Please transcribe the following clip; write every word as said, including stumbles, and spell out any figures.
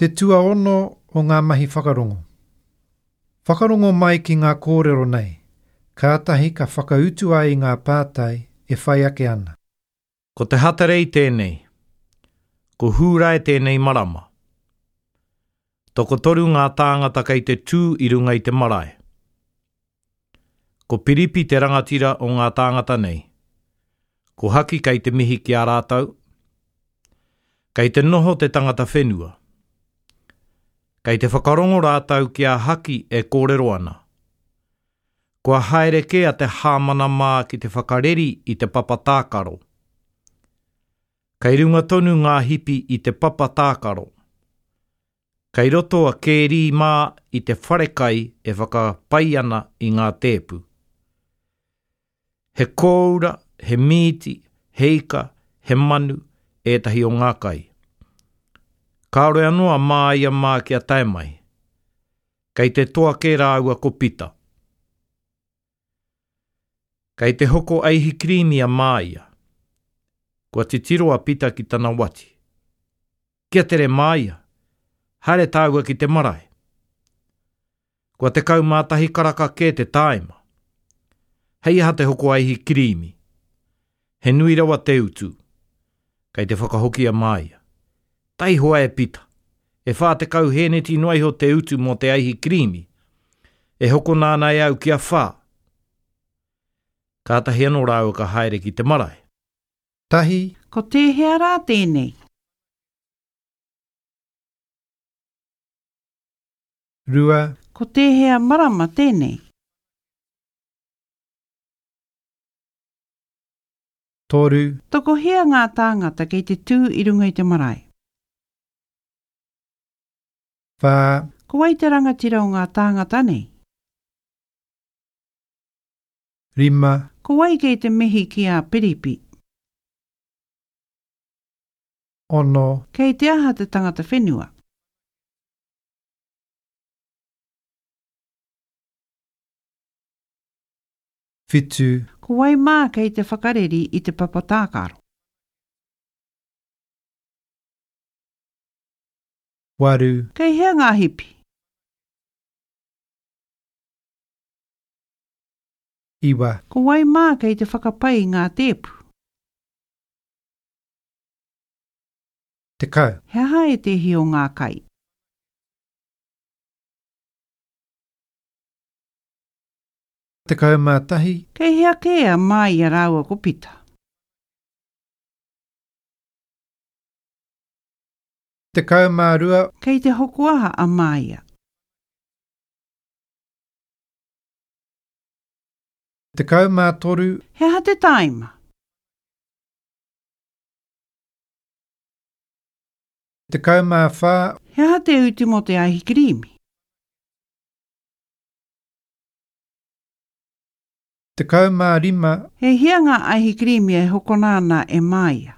Te tuaono o ngā mahi whakarongo. Whakarongo mai ki ngā kōrero nei, kātahi ka whakautu ai i ngā pātai e whai ake ana. Ko te Hatarei tēnei. Ko Hūrae tēnei marama. Tokotoru ngā tāngata kei te tū i runga i te marae. Ko Piripi te rangatira o ngā tāngata nei. Ko Haki kei te mihi ki a rātou. Kei te noho te tangata whenua. Kei te whakarongo rātou ki a Haki e kōrero ana. Kua haere kē a te hāmana mā ki te whakareri i te papa tākaro. Kei runga tonu ngā hipi i te papa tākaro. Kei roto a Kērī mā i te wharekai e whakapai ana i ngā tēpu. He kōura, he mīti, he ika, he manu, ētahi o ngā kai. Kāore anō a Māia mā kia tae mai. Kei te toa kē rāua ko Pita. Kei te hoko aihikirīmi a Māia. Kua titiro a Pita ki tana wati. Kia tere Māia, haere tāua ki te marae. Kua tekau mā tahi karaka kē te tāima. Hei aha te hoko aihikirīmi. He nui rawa te utu. Kei te whakahoki a Māia. Taihoa e Pita. E whā tekau hēneti noa iho te utu mō te aihikirīmi. E hokona ana e au kia whā. Kātahi anō rāua ka haere ki te marae. Tahi. Ko tēhea rā tēnei? Rua. Ko tēhea marama tēnei? Toru. Tokohia ngā tāngata kei te tū i runga i te marae? Whā. Ko wai te rangatira o ngā tāngata nei? Rima. Ko wai kei te mihi ki a Piripi? Ono. Kei te aha te tangata whenua? Whitu. Ko wai mā kei te whakareri i te papa tākaro? Waru. Kei hea ngā hipi? Iwa. Ko wai mā kei te whakapai i ngā tēpu? Tekau. He aha ētehi o ngā kai? Tekau mā tahi. Kei hea kē a Māia rāua ko Pita? Tekau mā rua. Kei te hoko aha a Māia? Tekau mā toru. He aha te tāima? Tekau mā whā. He aha te utu mō te aihikirīmi? Tekau mā rima. E hia ngā aihikirīmi e hokona ana e Māia?